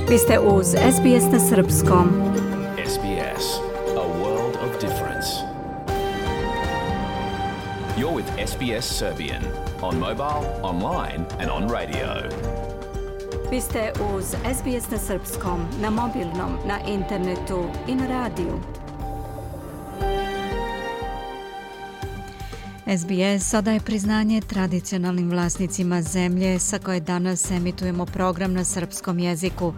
Vi ste uz SBS na srpskom. SBS, a world of difference. You're with SBS Serbian on mobile, online and on radio. Vi ste uz SBS na srpskom, na mobilnom, na internetu i na radiju. SBS odaje priznanje tradicionalnim vlasnicima zemlje sa koje danas emitujemo program na srpskom jeziku.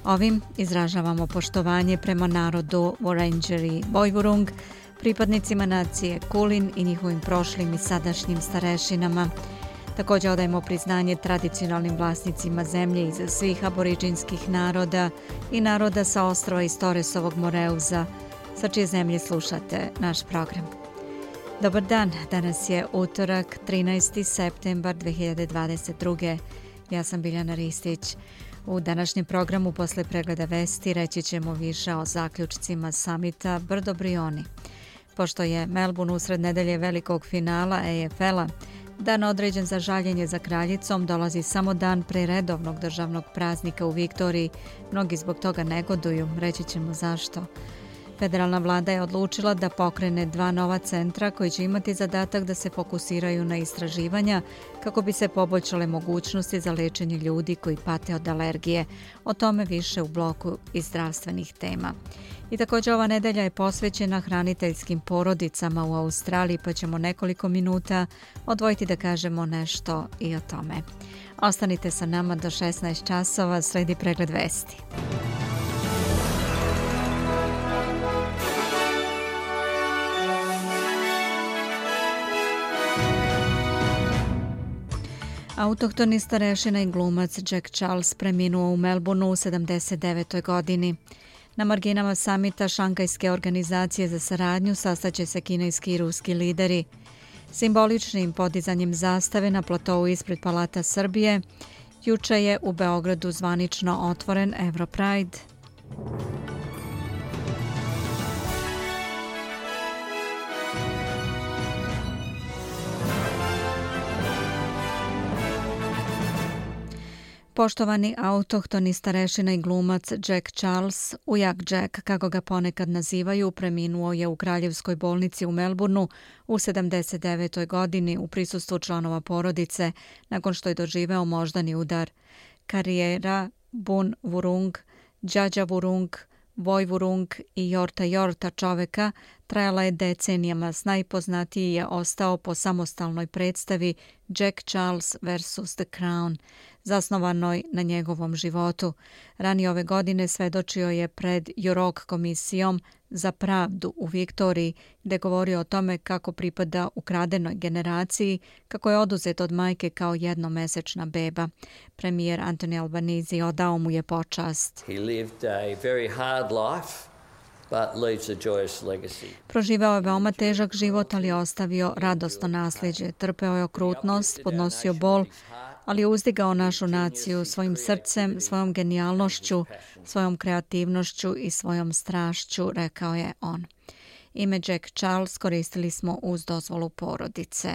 Ovim izražavamo poštovanje prema narodu Wurundjeri Woiwurrung, pripadnicima nacije Kulin i njihovim prošlim i sadašnjim starešinama. Također odajemo priznanje tradicionalnim vlasnicima zemlje iz svih aboriđinskih naroda i naroda sa ostrva iz Torresovog Moreuza, sa čije zemlje slušate naš program. Dobar dan, danas je utorak, 13. septembar 2022. Ja sam Biljana Ristić. U današnjem programu posle pregleda vesti reći ćemo više o zaključcima samita Brdo Brioni. Pošto je Melbourne usred nedelje velikog finala AFL-a, dan određen za žaljenje za kraljicom dolazi samo dan pre redovnog državnog praznika u Viktoriji. Mnogi zbog toga negoduju, reći ćemo zašto. Federalna vlada je odlučila da pokrene 2 nova centra koji će imati zadatak da se fokusiraju na istraživanja kako bi se poboljšale mogućnosti za lečenje ljudi koji pate od alergije. O tome više u bloku iz zdravstvenih tema. I također ova nedelja je posvećena hraniteljskim porodicama u Australiji, pa ćemo nekoliko minuta odvojiti da kažemo nešto i o tome. Ostanite sa nama do 16 časova, sledi pregled vesti. Autohtoni starešina i glumac Jack Charles preminuo u Melbourneu u 79. godini. Na marginama samita Šanghajske organizacije za saradnju sastaće se kineski i ruski lideri. Simboličnim podizanjem zastave na platovu ispred Palata Srbije, juče je u Beogradu zvanično otvoren Europride. Poštovani autohtoni starešina i glumac Jack Charles, ujak Jack, kako ga ponekad nazivaju, preminuo je u Kraljevskoj bolnici u Melbourneu u 79. godini u prisustvu članova porodice nakon što je doživeo moždani udar. Karijera Boon Wurrung, Džađa Wurrung, Woiwurrung i Yorta Yorta čoveka trajala je decenijama. Najpoznatiji je ostao po samostalnoj predstavi Jack Charles vs. The Crown, zasnovanoj na njegovom životu. Ranije ove godine svedočio je pred Yurok komisijom za pravdu u Viktoriji, gdje govorio o tome kako pripada ukradenoj generaciji, kako je oduzet od majke kao jednomesečna beba. Premijer Anthony Albanese odao mu je počast. He lived a very hard life, but leaves a joyous legacy. Proživao je veoma težak život, ali je ostavio radosno nasljeđe. Trpeo je okrutnost, podnosio bol, ali je uzdigao našu naciju svojim srcem, svojom genijalnošću, svojom kreativnošću i svojom strašću, rekao je on. Ime Jack Charles koristili smo uz dozvolu porodice.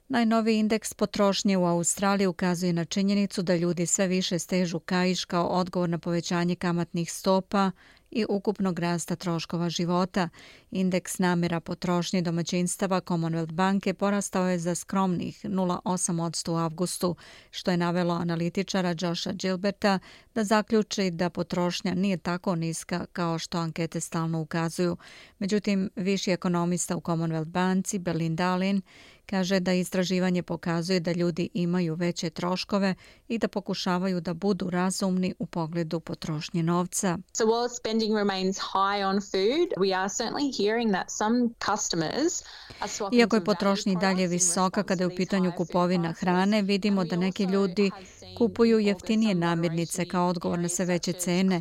Najnoviji indeks potrošnje u Australiji ukazuje na činjenicu da ljudi sve više stežu kaiš kao odgovor na povećanje kamatnih stopa i ukupnog rasta troškova života. Indeks namjera potrošnje domaćinstava Commonwealth banke porastao je za skromnih 0,8% u avgustu, što je navelo analitičara Josha Gilberta da zaključi da potrošnja nije tako niska kao što ankete stalno ukazuju. Međutim, viši ekonomista u Commonwealth banci Belinda Allin kaže da istraživanje pokazuje da ljudi imaju veće troškove i da pokušavaju da budu razumni u pogledu potrošnje novca. So while spending remains high on food, we are certainly hearing that some customers are swapping. Iako je potrošnja i dalje visoka kada je u pitanju kupovina hrane, vidimo da neki ljudi kupuju jeftinije namirnice kao odgovor na sve veće cene,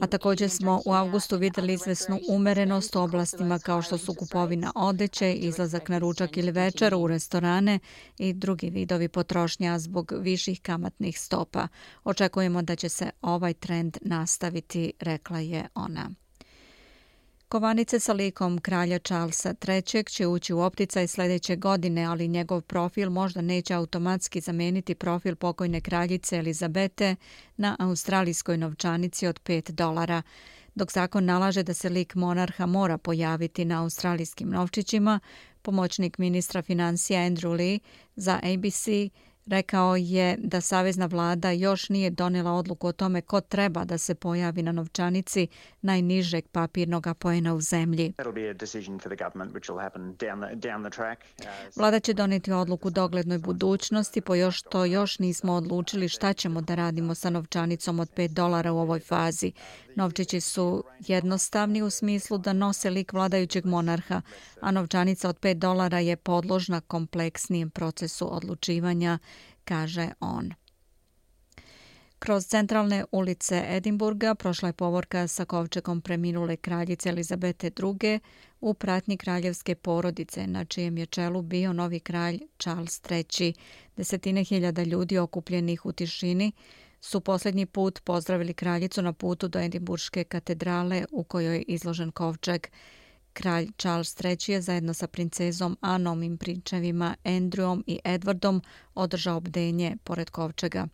a također smo u avgustu vidjeli izvesnu umerenost u oblastima kao što su kupovina odeće, izlazak na ručak ili večer u restorane i drugi vidovi potrošnja zbog viših kamatnih stopa. Očekujemo da će se ovaj trend nastaviti, rekla je ona. Kovanice sa likom kralja Charlesa III će ući u opticaj sljedeće godine, ali njegov profil možda neće automatski zameniti profil pokojne kraljice Elizabete na australijskoj novčanici od $5. Dok zakon nalaže da se lik monarha mora pojaviti na australijskim novčićima, pomoćnik ministra financija Andrew Lee za ABC rekao je da savezna vlada još nije donijela odluku o tome ko treba da se pojavi na novčanici najnižeg papirnog poena u zemlji. Vlada će donijeti odluku u doglednoj budućnosti, pošto još nismo odlučili šta ćemo da radimo sa novčanicom od $5 u ovoj fazi. Novčići su jednostavni u smislu da nose lik vladajućeg monarha, a novčanica od $5 je podložna kompleksnijem procesu odlučivanja, kaže on. Kroz centralne ulice Edinburga prošla je povorka sa kovčegom preminule kraljice Elizabete II u pratnji kraljevske porodice, na čijem je čelu bio novi kralj Charles III. Desetine hiljada ljudi okupljenih u tišini su posljednji put pozdravili kraljicu na putu do Edinburške katedrale u kojoj je izložen kovčeg. Kralj Charles III je zajedno sa princezom Anom i prinčevima Andrewom i Edwardom održao bdenje pored kovčega.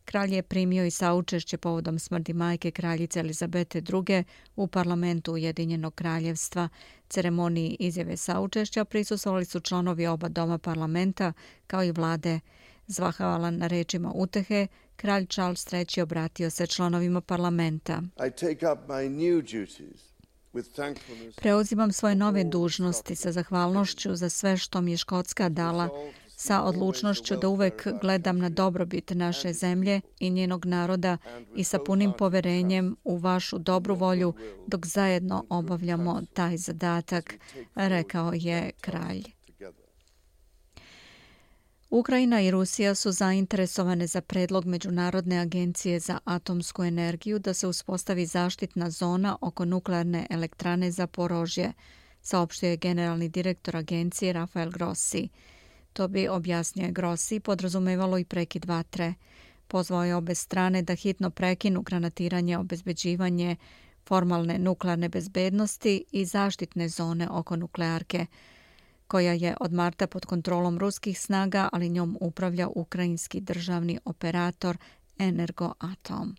Kralj je primio i saučešće povodom smrti majke kraljice Elizabete II u parlamentu Ujedinjenog kraljevstva. Ceremoniji izjave saučešća prisustvovali su članovi oba doma parlamenta kao i vlade. Zahvalan na rečima utehe, kralj Charles III obratio se članovima parlamenta. Preuzimam svoje nove dužnosti sa zahvalnošću za sve što mi je Škotska dala, sa odlučnošću da uvek gledam na dobrobit naše zemlje i njenog naroda i sa punim poverenjem u vašu dobru volju dok zajedno obavljamo taj zadatak, rekao je kralj. Ukrajina i Rusija su zainteresovane za predlog Međunarodne agencije za atomsku energiju da se uspostavi zaštitna zona oko nuklearne elektrane Zaporožje, saopštio je generalni direktor agencije Rafael Grossi. To bi, objasnio je Grossi, podrazumevalo i prekid vatre. Pozvao je obe strane da hitno prekinu granatiranje, obezbeđivanje formalne nuklearne bezbednosti i zaštitne zone oko nuklearke, koja je od marta pod kontrolom ruskih snaga, ali njom upravlja ukrajinski državni operator Energoatom.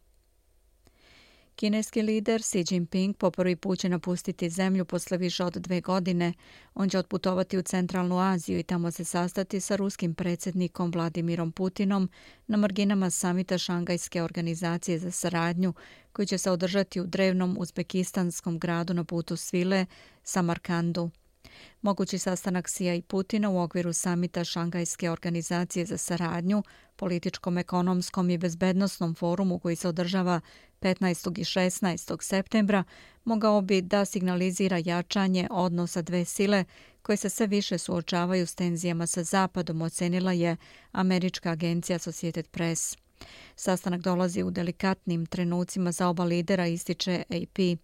Kineski lider Xi Jinping po prvi put će napustiti zemlju posle više od 2 godine. On će otputovati u Centralnu Aziju i tamo se sastati sa ruskim predsjednikom Vladimirom Putinom na marginama samita Šangajske organizacije za saradnju, koji će se održati u drevnom uzbekistanskom gradu na putu svile Samarkandu. Mogući sastanak Xija i Putina u okviru samita Šangajske organizacije za saradnju, političkom, ekonomskom i bezbednosnom forumu koji se održava 15. i 16. septembra, mogao bi da signalizira jačanje odnosa dve sile koje se sve više suočavaju s tenzijama sa Zapadom, ocenila je američka agencija Associated Press. Sastanak dolazi u delikatnim trenucima za oba lidera, ističe AP,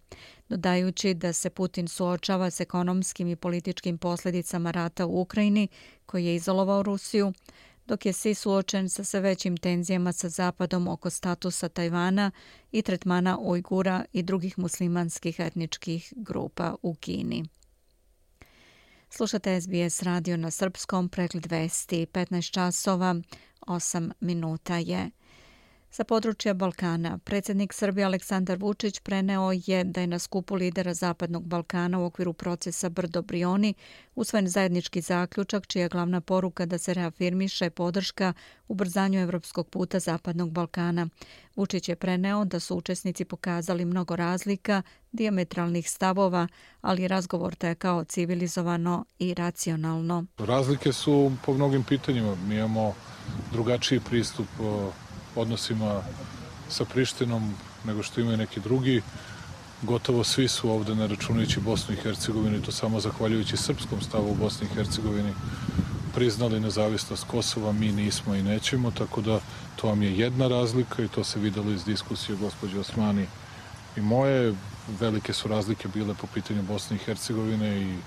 dodajući da se Putin suočava s ekonomskim i političkim posljedicama rata u Ukrajini, koji je izolovao Rusiju, dok je Xi suočen sa sve većim tenzijama sa Zapadom oko statusa Tajvana i tretmana Ujgura i drugih muslimanskih etničkih grupa u Kini. Slušate SBS radio na srpskom, pregled vesti, 15 časova, 8 minuta je. Sa područja Balkana, predsjednik Srbije Aleksandar Vučić preneo je da je na skupu lidera Zapadnog Balkana u okviru procesa Brdo-Brioni usvojen zajednički zaključak čija je glavna poruka da se reafirmiše podrška ubrzanju evropskog puta Zapadnog Balkana. Vučić je preneo da su učesnici pokazali mnogo razlika, dijametralnih stavova, ali razgovor tekao civilizovano i racionalno. Razlike su po mnogim pitanjima. Mi imamo drugačiji pristup odnosima sa Prištinom nego što imaju neki drugi. Gotovo svi su ovde, ne računajući Bosnu i Hercegovinu, to samo zahvaljujući srpskom stavu u Bosni i Hercegovini, priznali nezavisnost Kosova, mi nismo i nećemo, tako da to vam je jedna razlika i to se videlo iz diskusije gospođe Osmani i moje. Velike su razlike bile po pitanju Bosne i Hercegovine i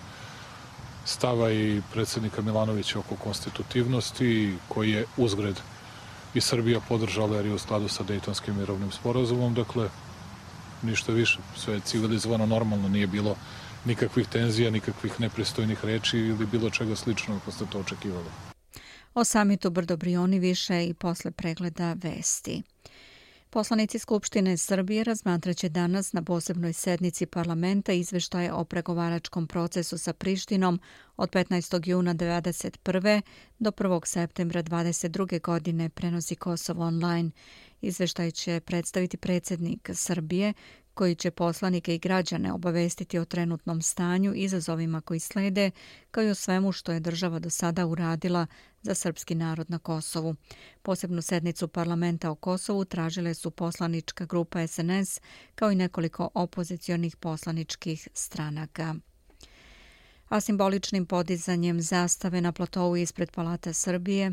stava i predsjednika Milanovića oko konstitutivnosti, koji je uzgred i Srbija podržala jer je u skladu sa Dejtonskim mirovnim sporazumom, dakle ništa više, sve je civilizovano, normalno, nije bilo nikakvih tenzija, nikakvih nepristojnih reči ili bilo čega sličnog ako ste to očekivali. O samitu Brdo Brioni više i posle pregleda vesti. Poslanici Skupštine Srbije razmatraće danas na posebnoj sednici parlamenta izveštaje o pregovaračkom procesu sa Prištinom od 15. juna 1991. do 1. septembra 1922. godine, prenosi Kosovo online. Izveštaj će predstaviti predsjednik Srbije, koji će poslanike i građane obavestiti o trenutnom stanju, izazovima koji slede, kao i o svemu što je država do sada uradila za srpski narod na Kosovu. Posebnu sednicu parlamenta o Kosovu tražile su poslanička grupa SNS, kao i nekoliko opozicionih poslaničkih stranaka. A simboličnim podizanjem zastave na platovu ispred Palata Srbije,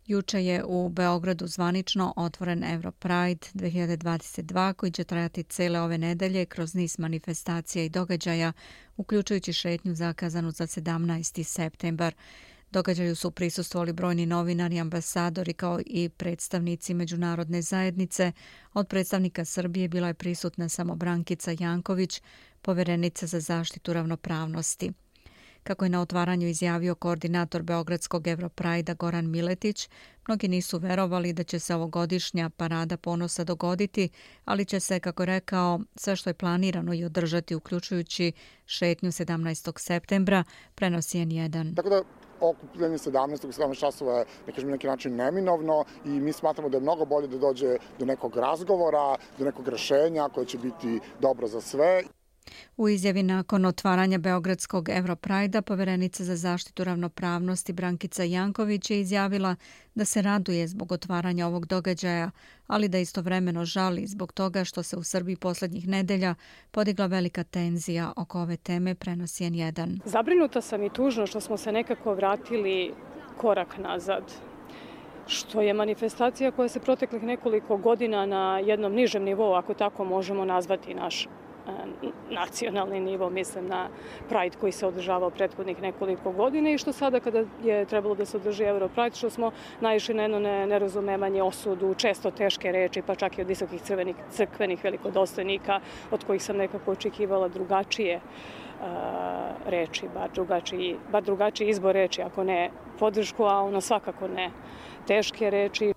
juče je u Beogradu zvanično otvoren Europride 2022 koji će trajati cele ove nedelje kroz niz manifestacija i događaja, uključujući šetnju zakazanu za 17. septembar. Događaju su prisustvovali brojni novinari, ambasadori kao i predstavnici međunarodne zajednice. Od predstavnika Srbije bila je prisutna samo Brankica Janković, poverenica za zaštitu ravnopravnosti. Kako je na otvaranju izjavio koordinator Beogradskog Europrajda Goran Miletić, mnogi nisu verovali da će se ovogodišnja parada ponosa dogoditi, ali će se, kako je rekao, sve što je planirano i održati, uključujući šetnju 17. septembra, prenosi N1. Tako da okupljanje 17. časova je na neki način neminovno i mi smatramo da je mnogo bolje da dođe do nekog razgovora, do nekog rešenja koje će biti dobro za sve. U izjavi nakon otvaranja Beogradskog Europrajda, poverenica za zaštitu ravnopravnosti Brankica Janković je izjavila da se raduje zbog otvaranja ovog događaja, ali da istovremeno žali zbog toga što se u Srbiji posljednjih nedelja podigla velika tenzija oko ove teme, prenosi N1. Zabrinuta sam i tužno što smo se nekako vratili korak nazad. Što je manifestacija koja se proteklih nekoliko godina na jednom nižem nivou, ako tako možemo nazvati naš nacionalni nivo, mislim na Pride koji se održavao prethodnih nekoliko godina i što sada kada je trebalo da se održi Europride, što smo naišli na jedno nerazumevanje, osudu, često teške reči, pa čak i od visokih crkvenih velikodostojnika, od kojih sam nekako očekivala drugačije reči, bar drugačiji izbor reči, ako ne podršku, a ono svakako ne teške reči.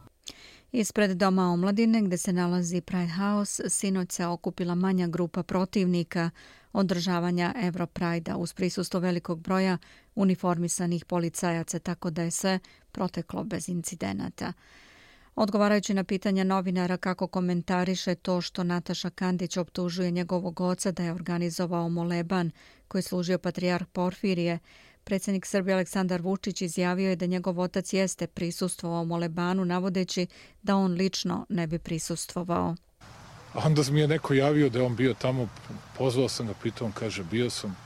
Ispred Doma omladine, gde se nalazi Pride House, sinoć se okupila manja grupa protivnika održavanja Europrajda uz prisustvo velikog broja uniformisanih policajaca, tako da je sve proteklo bez incidenata. Odgovarajući na pitanja novinara kako komentariše to što Nataša Kandić optužuje njegovog oca da je organizovao moleban koji je služio patrijarh Porfirije, predsjednik Srbije Aleksandar Vučić izjavio je da njegov otac jeste prisustvovao molebanu, navodeći da on lično ne bi prisustvovao. A onda mi je neko javio da je on bio tamo, pozvao sam ga, pitao, on kaže, bio sam.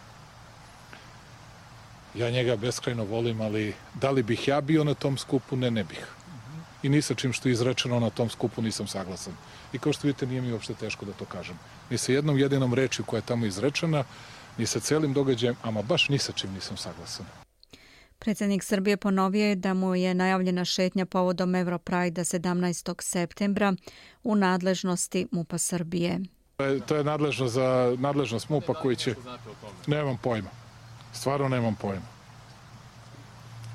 Ja njega beskrajno volim, ali da li bih ja bio na tom skupu? Ne bih. I ni sa čim što je izrečeno na tom skupu nisam saglasan. I kao što vidite, nije mi uopšte teško da to kažem. Ni sa jednom jedinom rečju koja je tamo izrečena, ni sa celim događajem, ama baš ni sa čim nisam saglasan. Predsjednik Srbije ponovio je da mu je najavljena šetnja povodom Europrajda 17. septembra u nadležnosti MUP-a Srbije. To je nadležnost MUP-a koji će... Nemam pojma. Stvarno nemam pojma.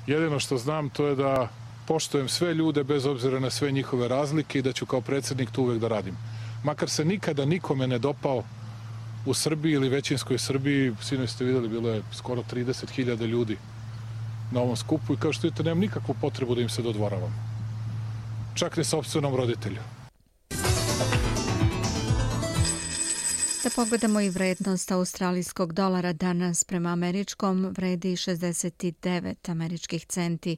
Jedino što znam to je da poštujem sve ljude bez obzira na sve njihove razlike i da ću kao predsjednik to uvek da radim. Makar se nikada nikome ne dopao u Srbiji ili većinskoj Srbiji, sinoć ste vidjeli, bilo je skoro 30.000 ljudi na ovom skupu i kao što vidite, nemam nikakvu potrebu da im se dodvoravam. Čak ne sopstvenom roditelju. Da pogledamo i vrednost australijskog dolara danas prema američkom vredi 69 američkih centi,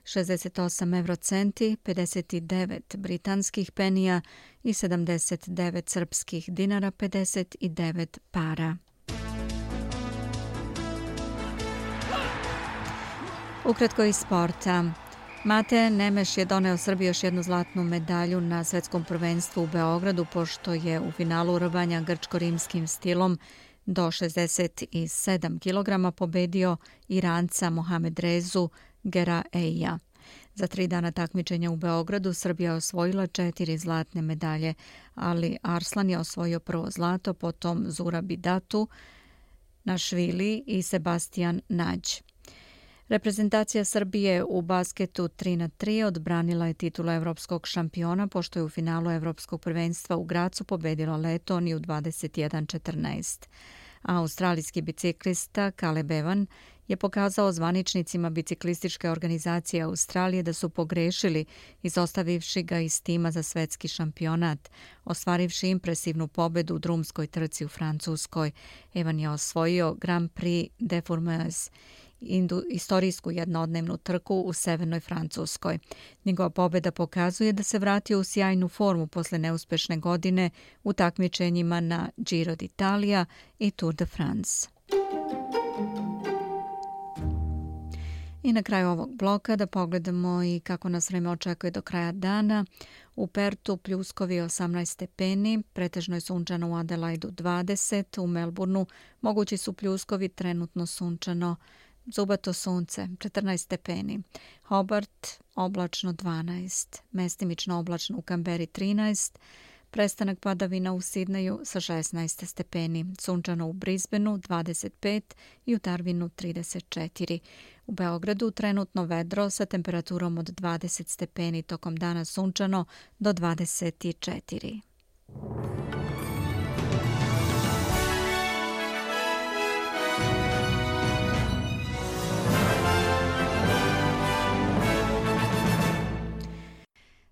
68 eurocenti, 59 britanskih penija i 79 srpskih dinara, 59 para. Ukratko iz sporta. Mate Nemeš je doneo Srbiji još jednu zlatnu medalju na svetskom prvenstvu u Beogradu, pošto je u finalu rvanja grčko-rimskim stilom do 67 kg pobedio Iranca Mohamed Rezu Geraeija. Za 3 dana takmičenja u Beogradu Srbija je osvojila 4 zlatne medalje, ali Arslan je osvojio prvo zlato, potom Zura Bidatu Našvili i Sebastian Nađ. Reprezentacija Srbije u basketu 3-3 odbranila je titulu evropskog šampiona pošto je u finalu evropskog prvenstva u Gracu pobedila Letoniju 21-14. A australijski biciklista Caleb Evan je pokazao zvaničnicima biciklističke organizacije Australije da su pogrešili izostavivši ga iz tima za svetski šampionat, ostvarivši impresivnu pobedu u drumskoj trci u Francuskoj. Evan je osvojio Grand Prix de Fourmies, istorijsku jednodnevnu trku u severnoj Francuskoj. Njegova pobjeda pokazuje da se vratio u sjajnu formu posle neuspešne godine u takmičenjima na Giro d'Italia i Tour de France. I na kraju ovog bloka da pogledamo i kako nas vreme očekuje do kraja dana. U Pertu pljuskovi 18 stepeni, pretežno je sunčano u Adelaidu 20, u Melbourneu mogući su pljuskovi, trenutno sunčano, zubato sunce 14 stepeni, Hobart oblačno 12, mestimično oblačno u Kamberi 13, prestanak padavina u Sidneju sa 16 stepeni, sunčano u Brisbaneu 25 i u Darwinu 34. U Beogradu trenutno vedro sa temperaturom od 20 stepeni, tokom dana sunčano do 24.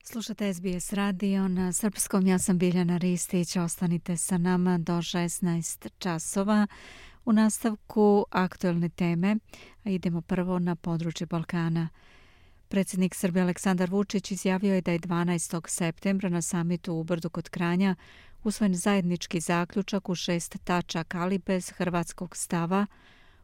Slušate SBS radio na srpskom. Ja sam Biljana Ristić. Ostanite sa nama do 16 časova. U nastavku aktuelne teme, a idemo prvo na područje Balkana. Predsjednik Srbije Aleksandar Vučić izjavio je da je 12. septembra na samitu u Brdu kod Kranja usvojen zajednički zaključak u 6 tačaka, ali bez hrvatskog stava,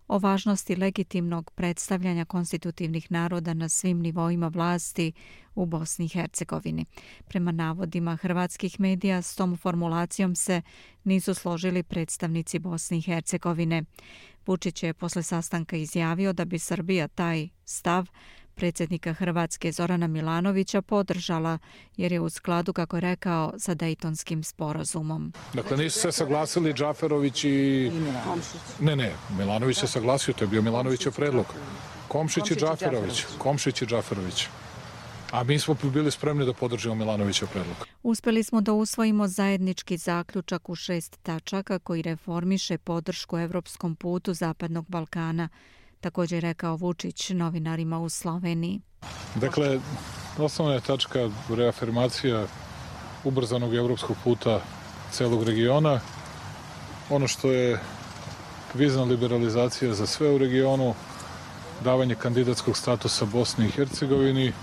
o važnosti legitimnog predstavljanja konstitutivnih naroda na svim nivoima vlasti u Bosni i Hercegovini. Prema navodima hrvatskih medija, s tom formulacijom se nisu složili predstavnici Bosne i Hercegovine. Vučić je posle sastanka izjavio da bi Srbija taj stav predsjednika Hrvatske Zorana Milanovića podržala, jer je u skladu, kako je rekao, sa Dejtonskim sporazumom. Dakle, nisu se saglasili Džaferović i Komšić. Ne, Milanović se saglasio, to je bio Milanovićev predlog. Komšić i Džaferović. A mi smo bili spremni da podržimo Milanovićev predlog. Uspeli smo da usvojimo zajednički zaključak u 6 tačaka koji reformiše podršku evropskom putu Zapadnog Balkana, također je rekao Vučić novinarima u Sloveniji. Dakle, osnovna je tačka reafirmacija ubrzanog evropskog puta celog regiona. Ono što je vizna liberalizacija za sve u regionu, davanje kandidatskog statusa Bosni i Hercegovini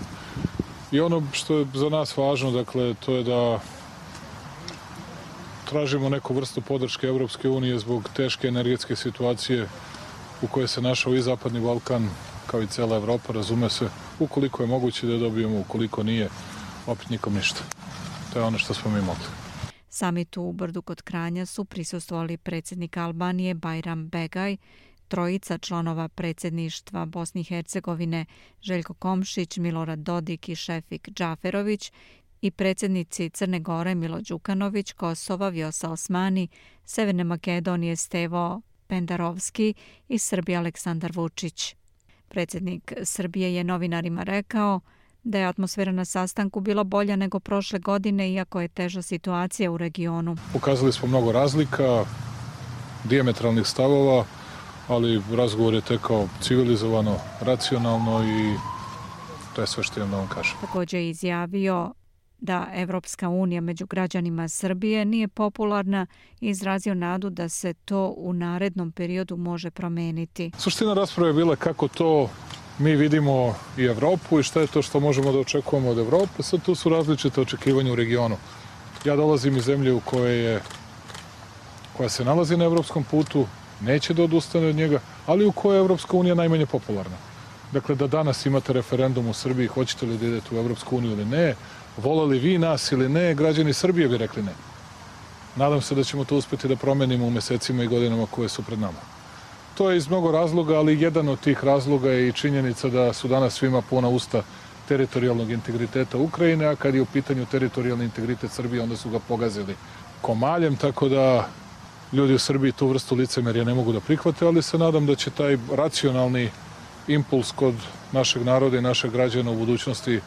i ono što je za nas važno, dakle, to je da tražimo neku vrstu podrške Evropske unije zbog teške energetske situacije u kojoj se našao i Zapadni Balkan, kao i cela Evropa, razume se, ukoliko je moguće da dobijemo, ukoliko nije, opet nikom ništa. To je ono što smo mi mogli. Samitu u Brdu kod Kranja su prisustvovali predsjednik Albanije Bajram Begaj, trojica članova predsjedništva Bosne i Hercegovine Željko Komšić, Milorad Dodik i Šefik Džaferović i predsjednici Crne Gore Milo Đukanović, Kosova Vjosa Osmani, Severne Makedonije Stevo Pendarovski i Srbije Aleksandar Vučić. Predsjednik Srbije je novinarima rekao da je atmosfera na sastanku bila bolja nego prošle godine, iako je teža situacija u regionu. Pokazali smo mnogo razlika, dijametralnih stavova, ali razgovor je tekao civilizovano, racionalno i to je sve što imam da vam kažem. Također je izjavio da Evropska unija među građanima Srbije nije popularna i izrazio nadu da se to u narednom periodu može promeniti. Suština rasprave je bila kako to mi vidimo i Evropu i šta je to što možemo da očekujemo od Evrope. Sad tu su različite očekivanja u regionu. Ja dolazim iz zemlje koja se nalazi na evropskom putu, neće da odustane od njega, ali u kojoj je Evropska unija najmanje popularna. Dakle, da danas imate referendum u Srbiji, hoćete li da idete u Evropsku uniju ili ne, volali vi nas ili ne, građani Srbije bi rekli ne. Nadam se da ćemo to uspjeti da promenimo u mesecima i godinama koje su pred nama. To je iz mnogo razloga, ali jedan od tih razloga je i činjenica da su danas svima puna usta teritorijalnog integriteta Ukrajine, a kad je u pitanju teritorijalni integritet Srbije, onda su ga pogazili komaljem, tako da ljudi u Srbiji tu vrstu licemerja ne mogu da prihvate, ali se nadam da će taj racionalni impuls kod našeg naroda i našeg građana u budućnosti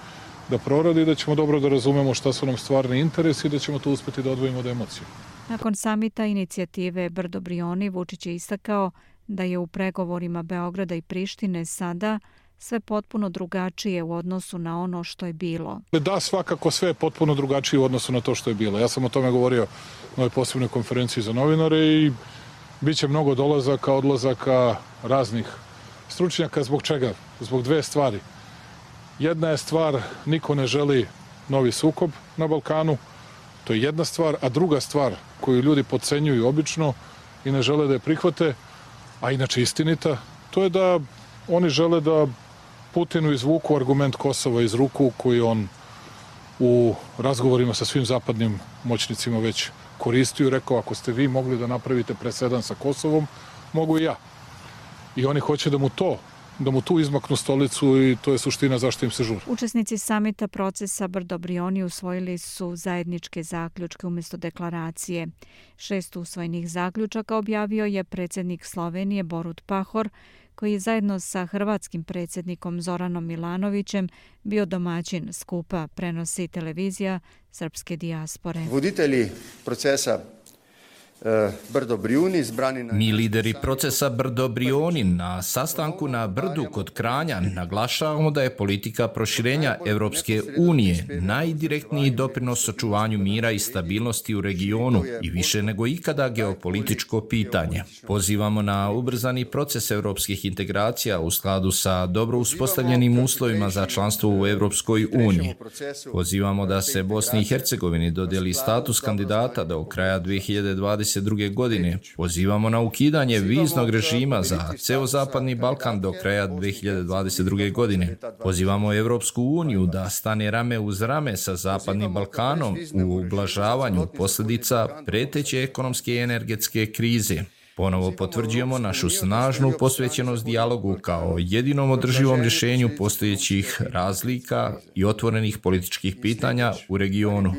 da proradi i da ćemo dobro da razumemo šta su nam stvarni interesi i da ćemo to uspeti da odvojimo od emocije. Nakon samita inicijative Brdo Brioni, Vučić je istakao da je u pregovorima Beograda i Prištine sada sve potpuno drugačije u odnosu na ono što je bilo. Da, svakako sve je potpuno drugačije u odnosu na to što je bilo. Ja sam o tome govorio na ovoj posebnoj konferenciji za novinare i bit će mnogo dolazaka, odlazaka raznih stručnjaka. Zbog čega? Zbog dve stvari. Jedna je stvar, niko ne želi novi sukob na Balkanu, to je jedna stvar, a druga stvar koju ljudi podcenjuju obično i ne žele da je prihvate, a inače istinita, to je da oni žele da Putinu izvuku argument Kosova iz ruku koji on u razgovorima sa svim zapadnim moćnicima već koristio i rekao ako ste vi mogli da napravite presedan sa Kosovom, mogu i ja. I oni hoće da mu tu izmaknu stolicu i to je suština zašto im se žuri. Učesnici samita procesa Brdo Brioni usvojili su zajedničke zaključke umjesto deklaracije. 6 usvojenih zaključaka objavio je predsjednik Slovenije Borut Pahor, koji je zajedno sa hrvatskim predsjednikom Zoranom Milanovićem bio domaćin skupa, prenosi televizija srpske dijaspore. Voditelji procesa Brdo Brioni izbrani na... Mi lideri procesa Brdo Brioni na sastanku na Brdu kod Kranja naglašavamo da je politika proširenja Evropske unije najdirektniji doprinos očuvanju mira i stabilnosti u regionu i više nego ikada geopolitičko pitanje. Pozivamo na ubrzani proces evropskih integracija u skladu sa dobro uspostavljenim uslovima za članstvo u Evropskoj uniji. Pozivamo da se Bosni i Hercegovini dodijeli status kandidata do kraja 2022. godine. Pozivamo na ukidanje viznog režima za ceo Zapadni Balkan do kraja 2022. godine. Pozivamo Evropsku uniju da stane rame uz rame sa Zapadnim Balkanom u ublažavanju posljedica preteće ekonomske i energetske krize. Ponovo potvrđujemo našu snažnu posvećenost dijalogu kao jedinom održivom rješenju postojećih razlika i otvorenih političkih pitanja u regionu.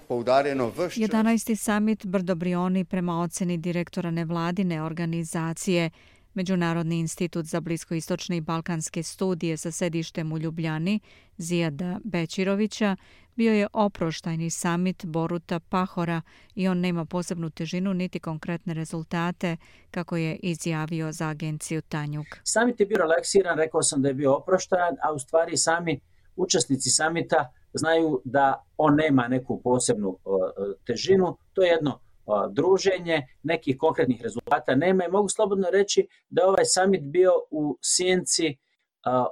11. samit Brdo Brioni prema oceni direktora nevladine organizacije Međunarodni institut za bliskoistočne i balkanske studije sa sedištem u Ljubljani, Zijada Bećirovića, bio je oproštajni samit Boruta Pahora i on nema posebnu težinu niti konkretne rezultate, kako je izjavio za agenciju Tanjug. Samit je bio relaksiran, rekao sam da je bio oproštajan, a u stvari sami učesnici samita znaju da on nema neku posebnu težinu. To je jedno druženje, nekih konkretnih rezultata nema i mogu slobodno reći da je ovaj samit bio u sjenci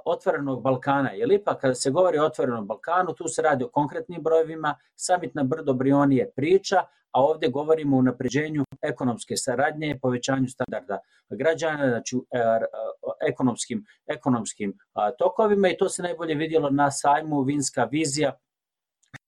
otvorenog Balkana. Jer ipak kada se govori o otvorenom Balkanu, tu se radi o konkretnim brojevima, samit na Brdo Brioni je priča, a ovdje govorimo o unapređenju ekonomske saradnje, povećanju standarda građana, znači ekonomskim tokovima i to se najbolje vidjelo na sajmu Vinska vizija.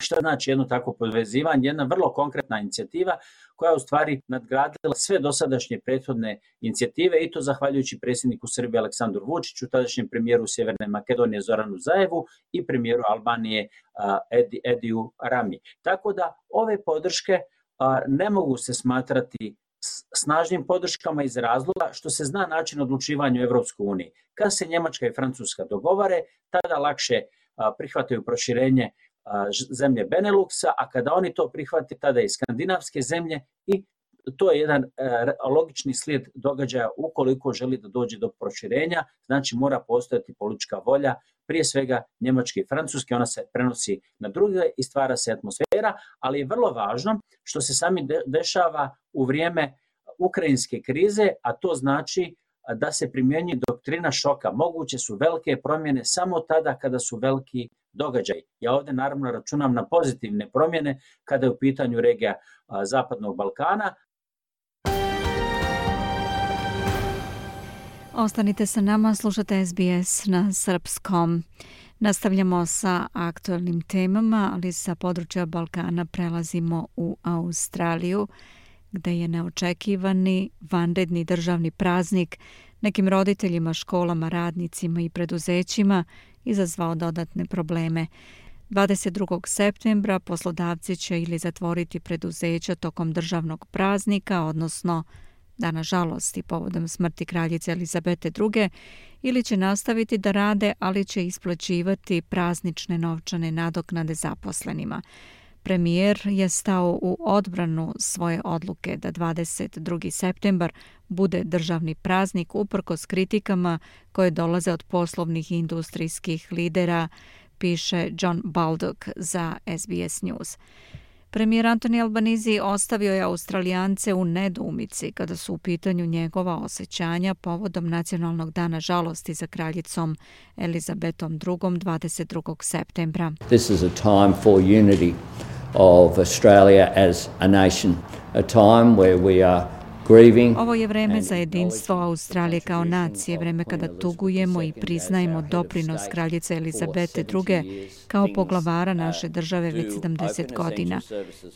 Što znači jedno takvo povezivanje, jedna vrlo konkretna inicijativa koja je u stvari nadgradila sve dosadašnje prethodne inicijative i to zahvaljujući predsjedniku Srbije Aleksandru Vučiću, tadašnjem premijeru Sjeverne Makedonije Zoranu Zaevu i premijeru Albanije Ediju Rami. Tako da ove podrške ne mogu se smatrati snažnim podrškama iz razloga što se zna način odlučivanja u Evropskoj uniji. Kad se Njemačka i Francuska dogovore, tada lakše prihvataju proširenje zemlje Beneluxa, a kada oni to prihvate, tada i skandinavske zemlje i to je jedan logični slijed događaja ukoliko želi da dođe do proširenja, znači mora postojati politička volja, prije svega Njemačke i Francuske, ona se prenosi na druge i stvara se atmosfera, ali je vrlo važno što se sami dešava u vrijeme ukrajinske krize, a to znači da se primjenjuje doktrina šoka. Moguće su velike promjene samo tada kada su veliki događaj. Ja ovdje naravno računam na pozitivne promjene kada je u pitanju regija Zapadnog Balkana. Ostanite sa nama, slušate SBS na srpskom. Nastavljamo sa aktualnim temama, ali sa područja Balkana prelazimo u Australiju, gde je neočekivani vanredni državni praznik nekim roditeljima, školama, radnicima i preduzećima izazvao dodatne probleme. 22. septembra poslodavci će ili zatvoriti preduzeća tokom državnog praznika, odnosno Dana žalosti povodom smrti kraljice Elizabete II, ili će nastaviti da rade, ali će isplaćivati praznične novčane nadoknade zaposlenima. Premijer je stao u odbranu svoje odluke da 22. septembar bude državni praznik uprkos kritikama koje dolaze od poslovnih i industrijskih lidera, piše John Baldock za SBS News. Premijer Anthony Albanese ostavio je Australijance u nedoumici kada su u pitanju njegova osjećanja povodom Nacionalnog dana žalosti za kraljicom Elizabetom II 22. septembra. This is a time for unity of Australia as a nation, a time where we are grieving. Ovo je vreme za jedinstvo Australije kao nacije, vreme kada tugujemo i priznajemo doprinos kraljice Elizabete II kao poglavara naše države već 70 godina.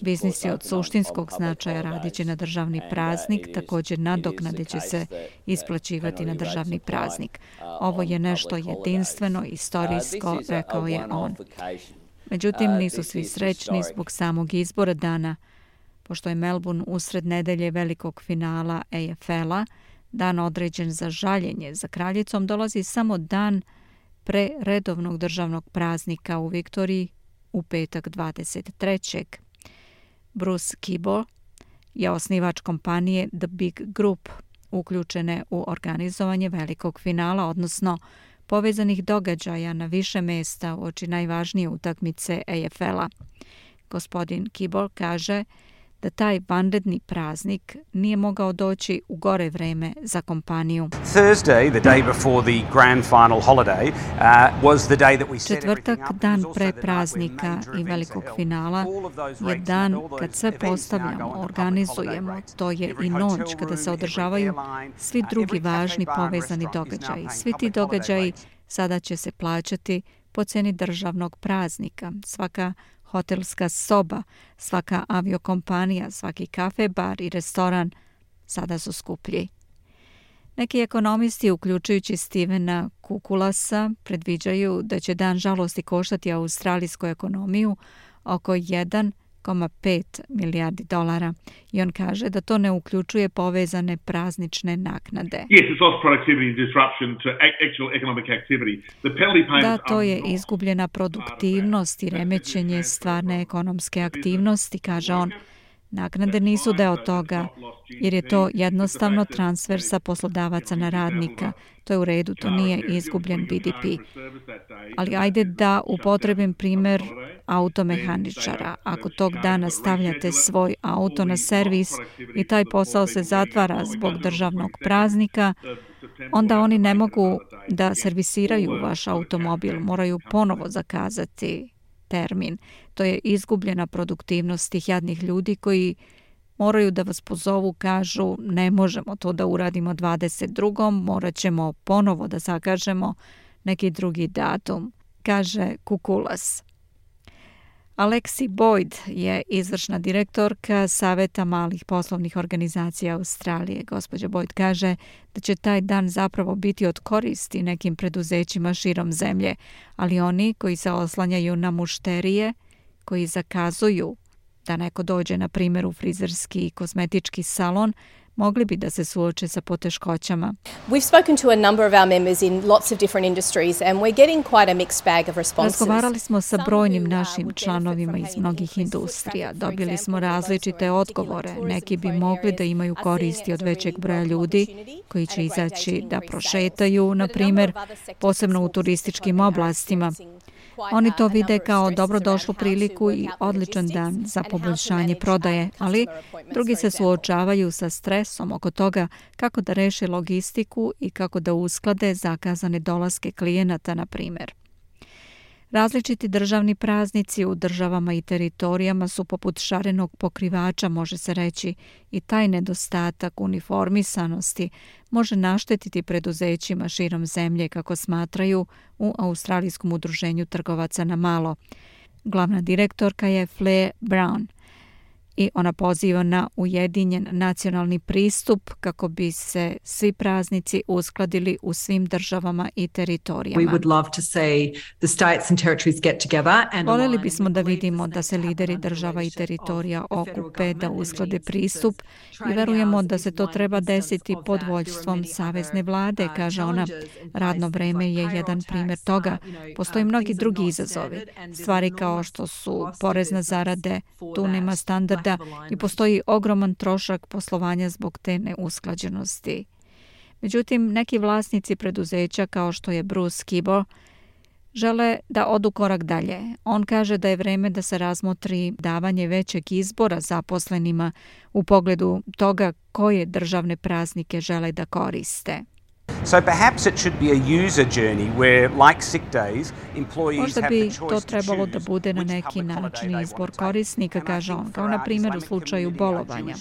Biznis je od suštinskog značaja, radit će na državni praznik, također nadoknade će se isplaćivati na državni praznik. Ovo je nešto jedinstveno, istorijsko, rekao je on. Međutim, nisu svi srećni zbog samog izbora dana. Pošto je Melbourne usred nedelje velikog finala AFL-a, dan određen za žaljenje za kraljicom, dolazi samo dan pre redovnog državnog praznika u Viktoriji u petak 23. Bruce Kibble je osnivač kompanije The Big Group, uključene u organizovanje velikog finala, odnosno povezanih događaja na više mesta uoči najvažnije utakmice AFL-a. Gospodin Kibble kaže da taj vanredni praznik nije mogao doći u gore vreme za kompaniju. Četvrtak, dan pre praznika i velikog finala, je dan kad sve postavljamo, organizujemo. To je i noć kada se održavaju svi drugi važni povezani događaji. Svi ti događaji sada će se plaćati po ceni državnog praznika. Svaka hotelska soba, svaka aviokompanija, svaki kafe, bar i restoran sada su skuplji. Neki ekonomisti, uključujući Stevena Kukulasa, predviđaju da će dan žalosti koštati australijsku ekonomiju oko 1,5 milijardi dolara. I on kaže da to ne uključuje povezane praznične naknade. Da, to je izgubljena produktivnost i remećenje stvarne ekonomske aktivnosti, kaže on. Naknade nisu deo toga, jer je to jednostavno transfer sa poslodavaca na radnika. To je u redu, to nije izgubljen BDP. Ali ajde da upotrebim primer automehaničara. Ako tog dana stavljate svoj auto na servis i taj posao se zatvara zbog državnog praznika, onda oni ne mogu da servisiraju vaš automobil, moraju ponovo zakazati termin. To je izgubljena produktivnost tih jadnih ljudi koji moraju da vas pozovu, kažu ne možemo to da uradimo 22. morat ćemo ponovo da zakažemo neki drugi datum, kaže Kukulas. Alexi Boyd je izvršna direktorka Saveta malih poslovnih organizacija Australije. Gospođa Boyd kaže da će taj dan zapravo biti od koristi nekim preduzećima širom zemlje, ali oni koji se oslanjaju na mušterije, koji zakazuju da neko dođe, na primjer, u frizerski i kozmetički salon, mogli bi da se suoče sa poteškoćama. Razgovarali smo sa brojnim našim članovima iz mnogih industrija. Dobili smo različite odgovore. Neki bi mogli da imaju koristi od većeg broja ljudi koji će izaći da prošetaju, na primjer, posebno u turističkim oblastima. Oni to vide kao dobrodošlu priliku i odličan dan za poboljšanje prodaje, ali drugi se suočavaju sa stresom oko toga kako da reše logistiku i kako da usklade zakazane dolaske klijenata, na primjer. Različiti državni praznici u državama i teritorijama su poput šarenog pokrivača, može se reći, i taj nedostatak uniformisanosti može naštetiti preduzećima širom zemlje, kako smatraju u Australijskom udruženju trgovaca na malo. Glavna direktorka je Fleur Brown. i ona poziva na ujedinjen nacionalni pristup kako bi se svi praznici uskladili u svim državama i teritorijama. Voljeli bismo da vidimo da se lideri država i teritorija okupe da usklade pristup i verujemo da se to treba desiti pod vođstvom savezne vlade, kaže ona. Radno vreme je jedan primjer toga. Postoji mnogi drugi izazovi. Stvari kao što su porez na zarade, tu nema standarda i postoji ogroman trošak poslovanja zbog te neusklađenosti. Međutim, neki vlasnici preduzeća kao što je Bruce Kibo žele da odu korak dalje. On kaže da je vreme da se razmotri davanje većeg izbora zaposlenima u pogledu toga koje državne praznike žele da koriste. Možda bi to trebalo da bude na neki način izbor korisnika, kaže on, kao na primjer u slučaju bolovanja.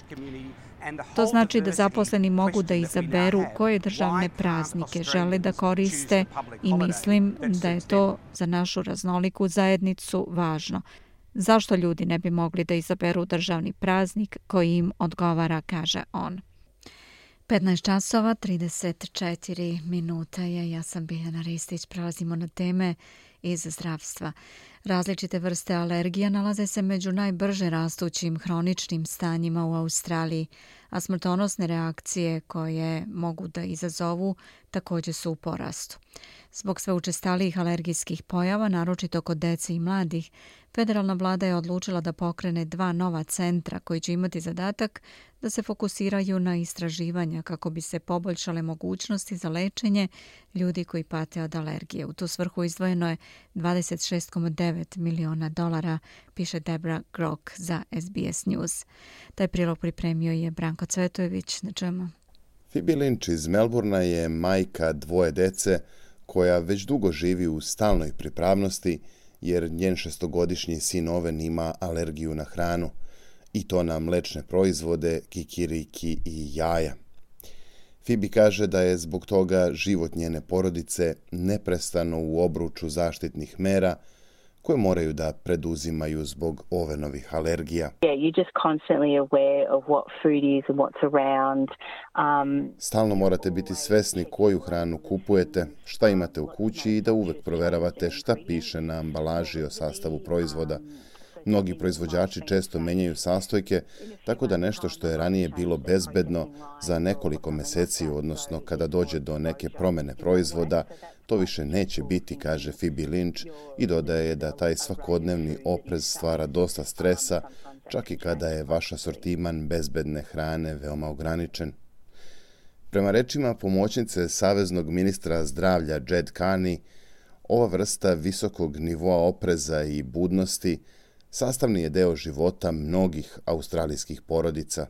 To znači da zaposleni mogu da izaberu koje državne praznike žele da koriste i mislim da je to za našu raznoliku zajednicu važno. Zašto ljudi ne bi mogli da izaberu državni praznik koji im odgovara, kaže on. 15 časova, 34 minuta je. Ja sam Biljana Ristić. Prelazimo na teme iz zdravstva. Različite vrste alergija nalaze se među najbrže rastućim hroničnim stanjima u Australiji, a smrtonosne reakcije koje mogu da izazovu također su u porastu. Zbog sve učestalijih alergijskih pojava, naročito kod dece i mladih, federalna vlada je odlučila da pokrene 2 nova centra koji će imati zadatak da se fokusiraju na istraživanja kako bi se poboljšale mogućnosti za lečenje ljudi koji pate od alergije. U tu svrhu izdvojeno je $26,9 miliona, piše Debra Grok za SBS News. Taj prilog pripremio je Branko Cvetojević. Na čemu? Phoebe Lynch iz Melbourna je majka 2 dece koja već dugo živi u stalnoj pripravnosti jer njen 6-godišnji sin Owen ima alergiju na hranu i to na mlečne proizvode, kikiriki i jaja. Phoebe kaže da je zbog toga život njene porodice neprestano u obruču zaštitnih mera koje moraju da preduzimaju zbog Owenovih alergija. Stalno morate biti svesni koju hranu kupujete, šta imate u kući i da uvek proveravate šta piše na ambalaži o sastavu proizvoda. Mnogi proizvođači često menjaju sastojke, tako da nešto što je ranije bilo bezbedno za nekoliko meseci, odnosno kada dođe do neke promene proizvoda, to više neće biti, kaže Phoebe Lynch i dodaje da taj svakodnevni oprez stvara dosta stresa, čak i kada je vaš asortiman bezbedne hrane veoma ograničen. Prema rečima pomoćnice saveznog ministra zdravlja Jed Carney, ova vrsta visokog nivoa opreza i budnosti sastavni je deo života mnogih australijskih porodica.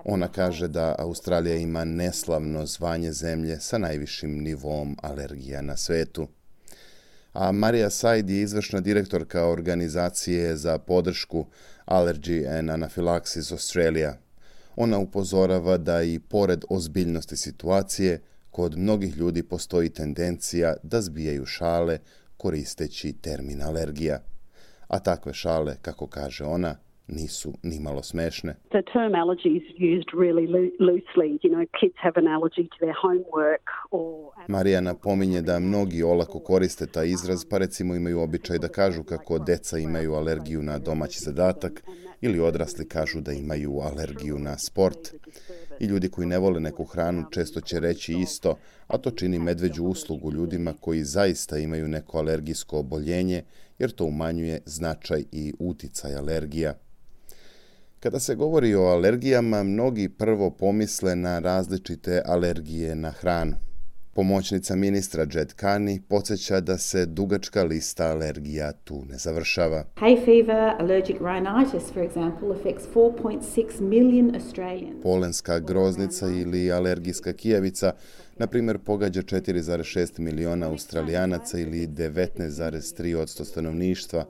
Ona kaže da Australija ima neslavno zvanje zemlje sa najvišim nivoom alergija na svetu. A Marija Said je izvršna direktorka organizacije za podršku Allergy and Anaphylaxis Australia. Ona upozorava da i pored ozbiljnosti situacije, kod mnogih ljudi postoji tendencija da zbijaju šale koristeći termin alergija. A takve šale, kako kaže ona, nisu nimalo smešne. Marija napominje da mnogi olako koriste taj izraz, pa recimo imaju običaj da kažu kako deca imaju alergiju na domaći zadatak ili odrasli kažu da imaju alergiju na sport. I ljudi koji ne vole neku hranu često će reći isto, a to čini medveđu uslugu ljudima koji zaista imaju neko alergijsko oboljenje, jer to umanjuje značaj i uticaj alergija. Kada se govori o alergijama, mnogi prvo pomisle na različite alergije na hranu. Pomoćnica ministra Jed Carney podsjeća da se dugačka lista alergija tu ne završava. Hay fever, allergic rhinitis, for example, affects 4.6 million Australians. Polenska groznica ili alergijska kijavica, na primjer, pogađa 4,6 miliona Australijanaca ili 19,3% stanovništva.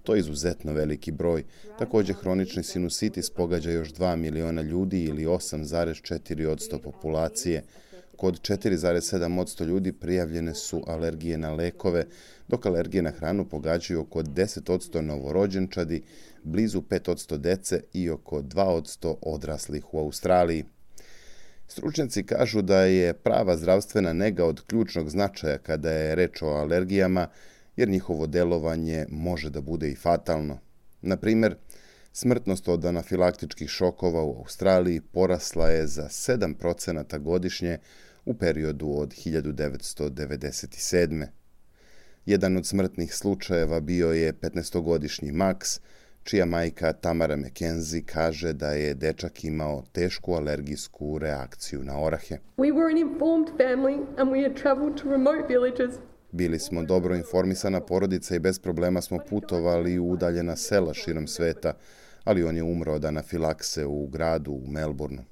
To je izuzetno veliki broj. Također, hronični sinusitis pogađa još 2 miliona ljudi ili 8,4% populacije. kod 4,7% ljudi prijavljene su alergije na lekove, dok alergije na hranu pogađaju oko 10% novorođenčadi, blizu 5% dece i oko 2% odraslih u Australiji. Stručnjaci kažu da je prava zdravstvena nega od ključnog značaja kada je reč o alergijama, jer njihovo delovanje može da bude i fatalno. Na primjer, smrtnost od anafilaktičkih šokova u Australiji porasla je za 7% godišnje u periodu od 1997. Jedan od smrtnih slučajeva bio je 15-godišnji Max, čija majka Tamara McKenzie kaže da je dečak imao tešku alergijsku reakciju na orahe. We were an informed family and we had traveled to remote villages. Bili smo dobro informisana porodica i bez problema smo putovali u udaljena sela širom sveta, ali on je umro od anafilakse u gradu u Melbourneu.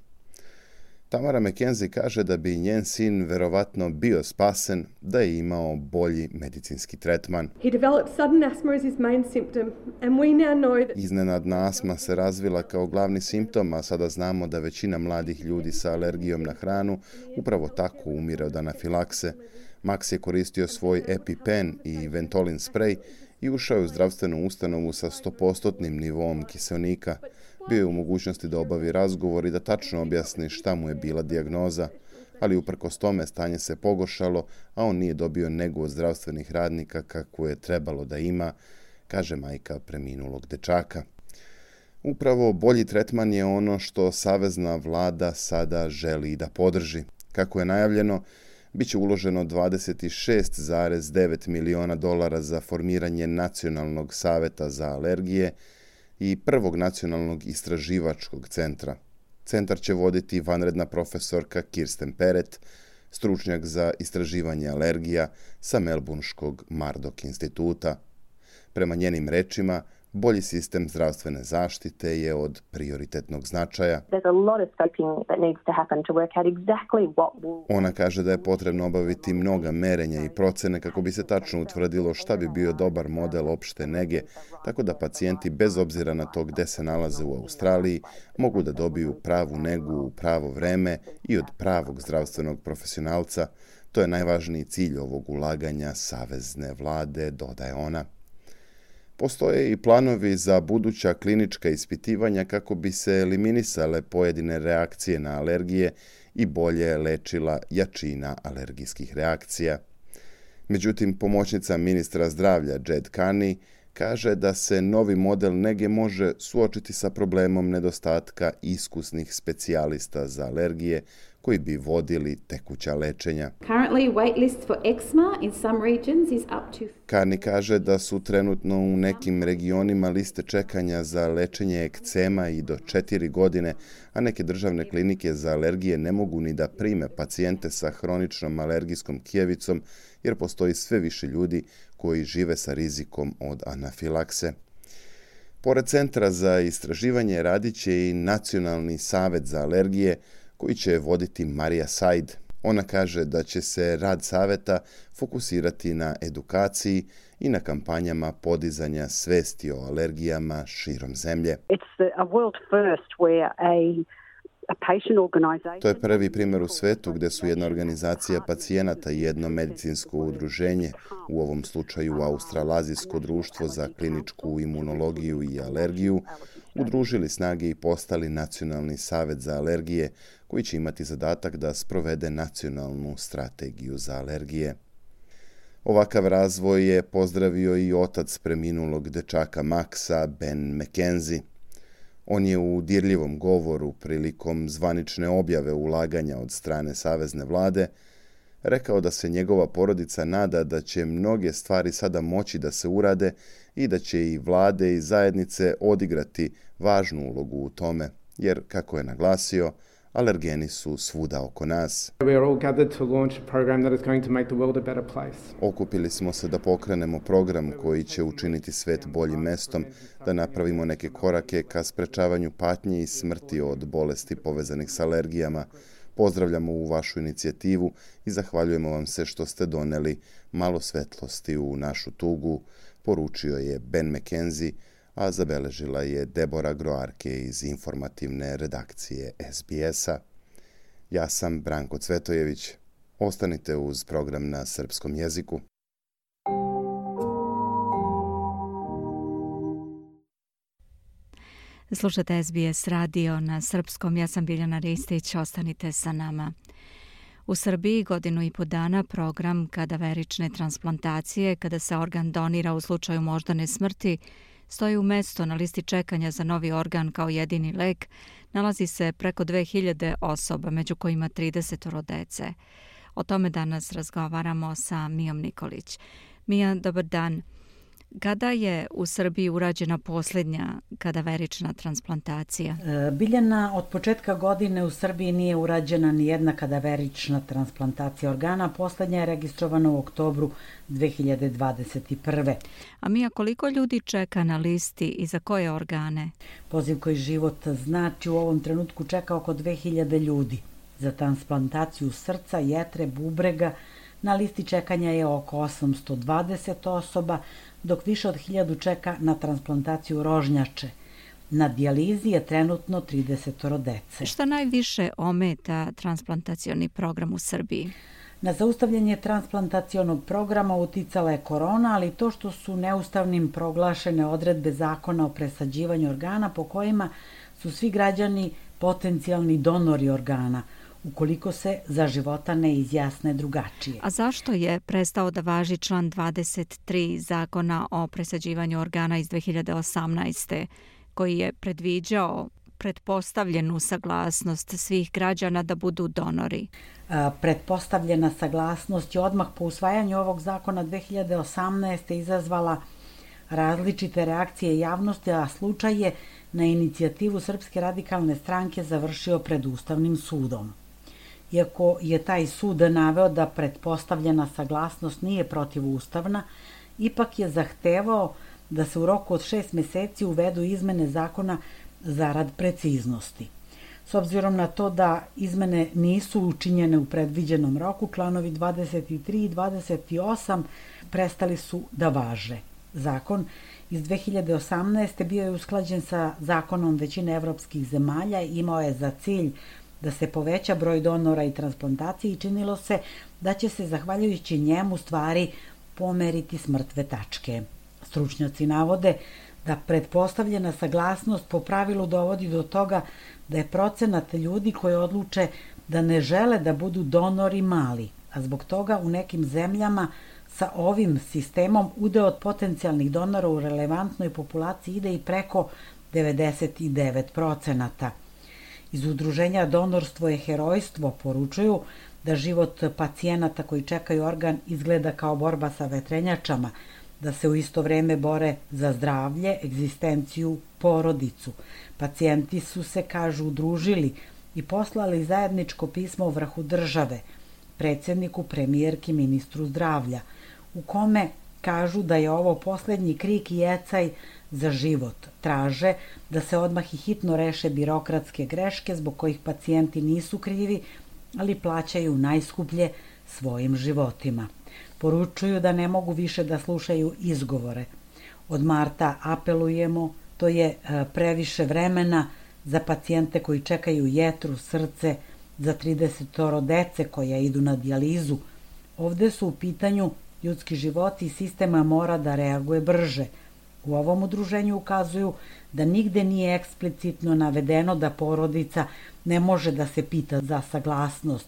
Tamara McKenzie kaže da bi njen sin verovatno bio spasen da je imao bolji medicinski tretman. Iznenadna astma se razvila kao glavni simptom, a sada znamo da većina mladih ljudi sa alergijom na hranu upravo tako umire od anafilakse. Max je koristio svoj EpiPen i Ventolin sprej i ušao je u zdravstvenu ustanovu sa 100% nivoom kiseonika. Bio je u mogućnosti da obavi razgovor i da tačno objasni šta mu je bila dijagnoza, ali uprkos tome stanje se pogoršalo, a on nije dobio negu od zdravstvenih radnika kako je trebalo da ima, kaže majka preminulog dečaka. Upravo bolji tretman je ono što savezna vlada sada želi da podrži. Kako je najavljeno, biće uloženo $26,9 miliona za formiranje Nacionalnog saveta za alergije i prvog nacionalnog istraživačkog centra. Centar će voditi vanredna profesorka Kirsten Peret, stručnjak za istraživanje alergija sa Melbourneškog Murdoch instituta. Prema njenim rečima, bolji sistem zdravstvene zaštite je od prioritetnog značaja. Ona kaže da je potrebno obaviti mnoga merenja i procene kako bi se tačno utvrdilo šta bi bio dobar model opšte nege, tako da pacijenti bez obzira na to gde se nalaze u Australiji mogu da dobiju pravu negu u pravo vreme i od pravog zdravstvenog profesionalca. To je najvažniji cilj ovog ulaganja savezne vlade, dodaje ona. Postoje i planovi za buduća klinička ispitivanja kako bi se eliminisale pojedine reakcije na alergije i bolje lečila jačina alergijskih reakcija. Međutim, pomoćnica ministra zdravlja Jed Carney kaže da se novi model nege može suočiti sa problemom nedostatka iskusnih specijalista za alergije koji bi vodili tekuća lečenja. Carney kaže da su trenutno u nekim regionima liste čekanja za lečenje ekcema i do 4 godine, a neke državne klinike za alergije ne mogu ni da prime pacijente sa hroničnom alergijskom kijevicom, jer postoji sve više ljudi koji žive sa rizikom od anafilakse. Pored Centra za istraživanje radit će i Nacionalni savet za alergije, koji će voditi Marija Said. Ona kaže da će se rad saveta fokusirati na edukaciji i na kampanjama podizanja svesti o alergijama širom zemlje. To je prvi primjer u svetu gdje su jedna organizacija pacijenata i jedno medicinsko udruženje, u ovom slučaju Australazijsko društvo za kliničku imunologiju i alergiju, udružili snage i postali Nacionalni savet za alergije, koji će imati zadatak da sprovede nacionalnu strategiju za alergije. Ovakav razvoj je pozdravio i otac preminulog dečaka Maxa, Ben McKenzie. On je u dirljivom govoru prilikom zvanične objave ulaganja od strane savezne vlade rekao da se njegova porodica nada da će mnoge stvari sada moći da se urade i da će i vlade i zajednice odigrati važnu ulogu u tome, jer, kako je naglasio, alergeni su svuda oko nas. Okupili smo se da pokrenemo program koji će učiniti svet boljim mestom, da napravimo neke korake ka sprečavanju patnje i smrti od bolesti povezanih s alergijama. Pozdravljamo ovu vašu inicijativu i zahvaljujemo vam se što ste doneli malo svetlosti u našu tugu, poručio je Ben McKenzie, a zabeležila je Debora Groarke iz informativne redakcije SBS-a. Ja sam Branko Cvetojević. Ostanite uz program na srpskom jeziku. Slušate SBS radio na srpskom. Ja sam Biljana Ristić. Ostanite sa nama. U Srbiji 1.5 dana program kadaverične transplantacije, kada se organ donira u slučaju moždane smrti, stoji u mesto na listi čekanja za novi organ kao jedini lek, nalazi se preko 2000 osoba, među kojima 30 dece. O tome danas razgovaramo sa Mijom Nikolić. Mija, dobar dan. Kada je u Srbiji urađena posljednja kadaverična transplantacija? Biljana, od početka godine u Srbiji nije urađena ni jedna kadaverična transplantacija organa. Posljednja je registrovana u oktobru 2021. A Mija, koliko ljudi čeka na listi i za koje organe? Poziv koji život znači u ovom trenutku čeka oko 2000 ljudi. Za transplantaciju srca, jetre, bubrega na listi čekanja je oko 820 osoba, dok više od 1000 čeka na transplantaciju rožnjače. Na dijalizi je trenutno 30 dece. Šta najviše ometa transplantacioni program u Srbiji? Na zaustavljanje transplantacionog programa uticala je korona, ali to što su neustavnim proglašene odredbe zakona o presađivanju organa po kojima su svi građani potencijalni donori organa, ukoliko se za života ne izjasne drugačije. A zašto je prestao da važi član 23 zakona o presađivanju organa iz 2018. koji je predviđao pretpostavljenu saglasnost svih građana da budu donori? Pretpostavljena saglasnost je odmah po usvajanju ovog zakona 2018. izazvala različite reakcije javnosti, a slučaj je na inicijativu Srpske radikalne stranke završio pred Ustavnim sudom. Iako je taj sud naveo da pretpostavljena saglasnost nije protivustavna, ipak je zahtevao da se u roku od 6 meseci uvedu izmene zakona zarad preciznosti. S obzirom na to da izmene nisu učinjene u predviđenom roku, članovi 23 i 28 prestali su da važe. Zakon iz 2018. bio je usklađen sa zakonom većine evropskih zemalja i imao je za cilj da se poveća broj donora i transplantacije i činilo se da će se zahvaljujući njemu stvari pomeriti s mrtve tačke. Stručnjaci navode da pretpostavljena saglasnost po pravilu dovodi do toga da je procenat ljudi koji odluče da ne žele da budu donori mali, a zbog toga u nekim zemljama sa ovim sistemom udeo od potencijalnih donora u relevantnoj populaciji ide i preko 99%. Iz udruženja Donorstvo je herojstvo poručuju da život pacijenata koji čekaju organ izgleda kao borba sa vetrenjačama, da se u isto vreme bore za zdravlje, egzistenciju, porodicu. Pacijenti su se, kažu, udružili i poslali zajedničko pismo vrhu države, predsjedniku, premijerki, ministru zdravlja, u kome kažu da je ovo posljednji krik i ecaj za život. Traže da se odmah i hitno reše birokratske greške zbog kojih pacijenti nisu krivi, ali plaćaju najskuplje svojim životima. Poručuju da ne mogu više da slušaju izgovore. Od marta apelujemo, to je previše vremena za pacijente koji čekaju jetru, srce, za 30 dece koja idu na dijalizu. Ovde su u pitanju ljudski životi i sistema mora da reaguje brže. U ovom udruženju ukazuju da nigde nije eksplicitno navedeno da porodica ne može da se pita za saglasnost,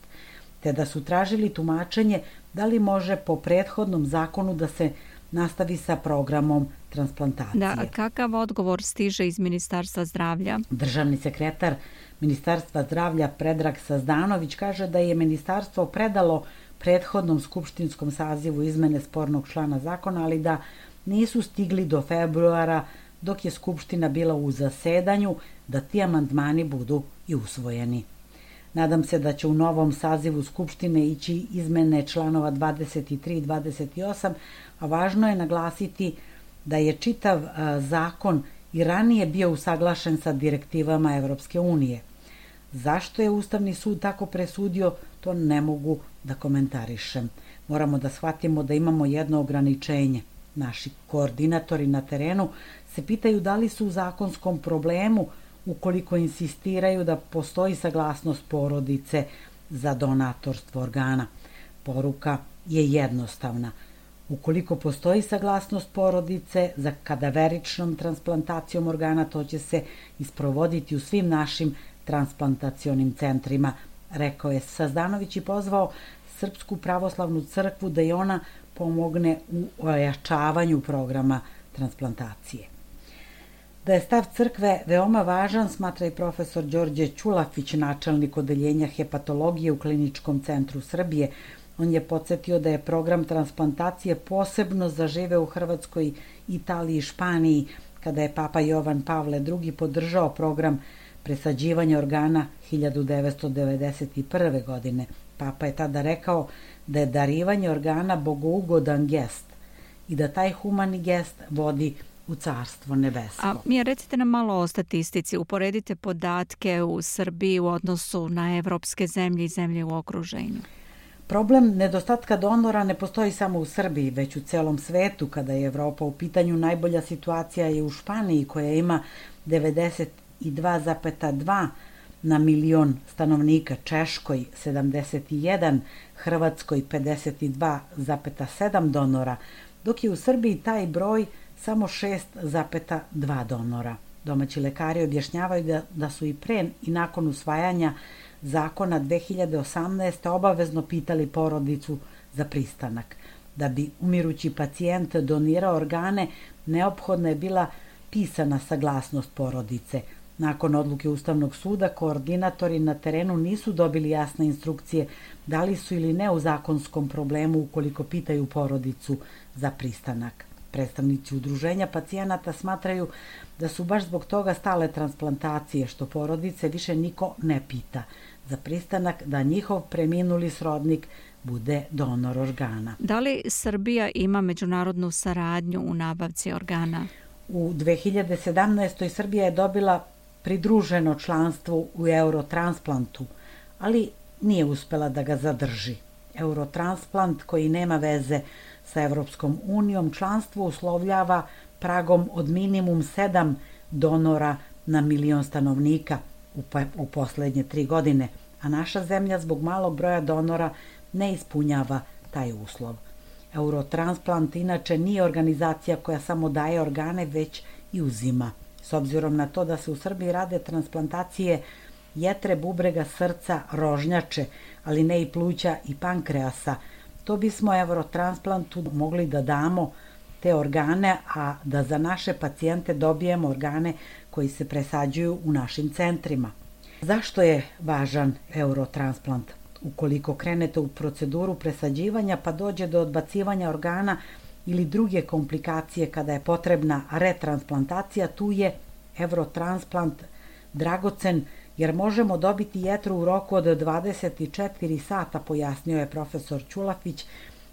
te da su tražili tumačenje da li može po prethodnom zakonu da se nastavi sa programom transplantacije. Da, kakav odgovor stiže iz Ministarstva zdravlja? Državni sekretar Ministarstva zdravlja Predrag Sazdanović kaže da je ministarstvo predalo prethodnom skupštinskom sazivu izmene spornog člana zakona, ali da nisu stigli do februara, dok je skupština bila u zasedanju, da ti amandmani budu i usvojeni. Nadam se da će u novom sazivu skupštine ići izmene članova 23 i 28, a važno je naglasiti da je čitav zakon i ranije bio usaglašen sa direktivama Evropske unije. Zašto je Ustavni sud tako presudio, to ne mogu da komentarišem. Moramo da shvatimo da imamo jedno ograničenje. Naši koordinatori na terenu se pitaju da li su u zakonskom problemu ukoliko insistiraju da postoji saglasnost porodice za donatorstvo organa. Poruka je jednostavna. Ukoliko postoji saglasnost porodice za kadaveričnom transplantacijom organa, to će se isprovoditi u svim našim transplantacionim centrima, rekao je Sazdanović i pozvao Srpsku pravoslavnu crkvu da i ona pomogne u ojačavanju programa transplantacije. Da je stav crkve veoma važan, smatra i profesor Đorđe Ćulafić, načelnik odeljenja hepatologije u Kliničkom centru Srbije. On je podsjetio da je program transplantacije posebno zaživeo u Hrvatskoj, Italiji i Španiji, kada je Papa Jovan Pavle II podržao program presađivanja organa 1991. godine. Papa je tada rekao da je darivanje organa bogougodan gest i da taj humani gest vodi u carstvo nebesko. A Mija, recite nam malo o statistici. Uporedite podatke u Srbiji u odnosu na evropske zemlje i zemlje u okruženju. Problem nedostatka donora ne postoji samo u Srbiji, već u celom svetu. Kada je Evropa u pitanju, najbolja situacija je u Španiji, koja ima 92,2 na milion stanovnika, Češkoj 71, Hrvatskoj 52,7 donora, dok je u Srbiji taj broj samo 6,2 donora. Domaći lekari objašnjavaju da su i pre i nakon usvajanja zakona 2018. obavezno pitali porodicu za pristanak. Da bi umirući pacijent donirao organe, neophodna je bila pisana saglasnost porodice. Nakon odluke Ustavnog suda, koordinatori na terenu nisu dobili jasne instrukcije da li su ili ne u zakonskom problemu ukoliko pitaju porodicu za pristanak. Predstavnici udruženja pacijenata smatraju da su baš zbog toga stale transplantacije, što porodice više niko ne pita za pristanak da njihov preminuli srodnik bude donor organa. Da li Srbija ima međunarodnu saradnju u nabavci organa? U 2017. Srbija je dobila pridruženo članstvo u Eurotransplantu, ali nije uspela da ga zadrži. Eurotransplant, koji nema veze sa Evropskom unijom, članstvo uslovljava pragom od minimum 7 donora na milion stanovnika u poslednje 3 godine, a naša zemlja zbog malog broja donora ne ispunjava taj uslov. Eurotransplant inače nije organizacija koja samo daje organe, već i uzima. S obzirom na to da se u Srbiji rade transplantacije jetre, bubrega, srca, rožnjače, ali ne i pluća i pankreasa, to bismo Eurotransplantu mogli da damo te organe, a da za naše pacijente dobijemo organe koji se presađuju u našim centrima. Zašto je važan Eurotransplant? Ukoliko krenete u proceduru presađivanja pa dođe do odbacivanja organa ili druge komplikacije kada je potrebna retransplantacija, tu je Eurotransplant dragocen jer možemo dobiti jetru u roku od 24 sata, pojasnio je profesor Ćulafić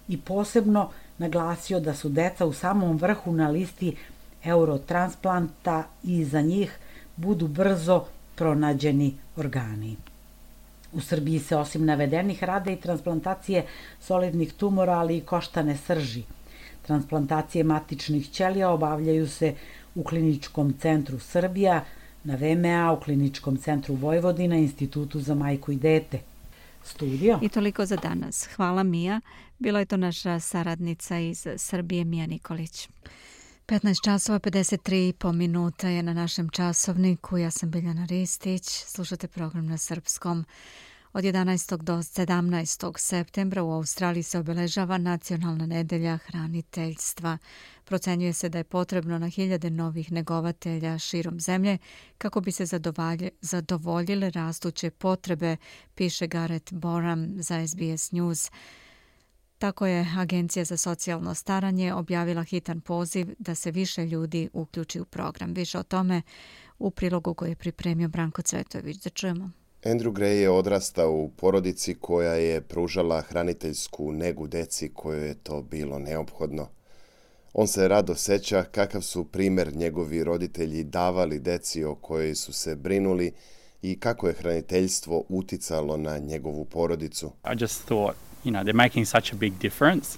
i posebno naglasio da su deca u samom vrhu na listi Eurotransplanta i za njih budu brzo pronađeni organi. U Srbiji se osim navedenih rade i transplantacije solidnih tumora, ali i koštane srži. Transplantacije matičnih ćelija obavljaju se u Kliničkom centru Srbija, na VMA, u Kliničkom centru Vojvodina, Institutu za majku i dete. Studio. I toliko za danas. Hvala, Mija. Bila je to naša saradnica iz Srbije, Mija Nikolić. 15 časova 53 minuta je na našem časovniku. Ja sam Biljana Ristić. Slušate program na srpskom. Od 11. do 17. septembra u Australiji se obeležava Nacionalna nedelja hraniteljstva. Procenjuje se da je potrebno na hiljade novih negovatelja širom zemlje kako bi se zadovoljile rastuće potrebe, piše Gareth Boram za SBS News. Tako je Agencija za socijalno staranje objavila hitan poziv da se više ljudi uključi u program. Više o tome u prilogu koji je pripremio Branko Cvetojević. Da čujemo. Andrew Gray je odrastao u porodici koja je pružala hraniteljsku negu deci kojoj je to bilo neophodno. On se rado seća kakav su primer njegovi roditelji davali deci o kojoj su se brinuli i kako je hraniteljstvo uticalo na njegovu porodicu. I just thought, they're making such a big difference.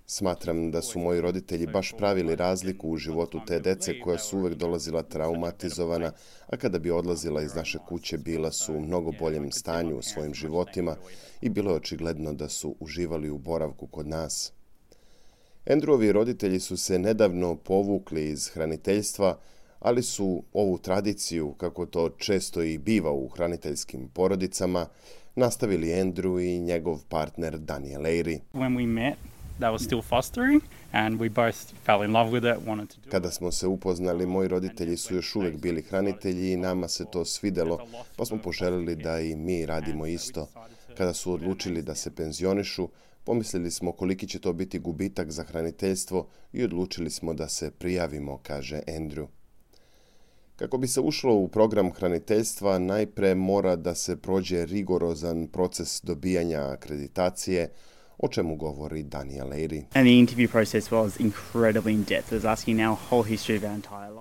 Smatram da su moji roditelji baš pravili razliku u životu te dece koja su uvek dolazila traumatizovana, a kada bi odlazila iz naše kuće bila su u mnogo boljem stanju u svojim životima i bilo je očigledno da su uživali u boravku kod nas. Andrewovi roditelji su se nedavno povukli iz hraniteljstva, ali su ovu tradiciju, kako to često i biva u hraniteljskim porodicama, nastavili Andrew i njegov partner Daniel Airy. Kada smo se upoznali, moji roditelji su još uvek bili hranitelji i nama se to svidelo, pa smo poželili da i mi radimo isto. Kada su odlučili da se penzionišu, pomislili smo koliki će to biti gubitak za hraniteljstvo i odlučili smo da se prijavimo, kaže Andrew. Kako bi se ušlo u program hraniteljstva, najpre mora da se prođe rigorozan proces dobijanja akreditacije, o čemu govori Daniel Airy.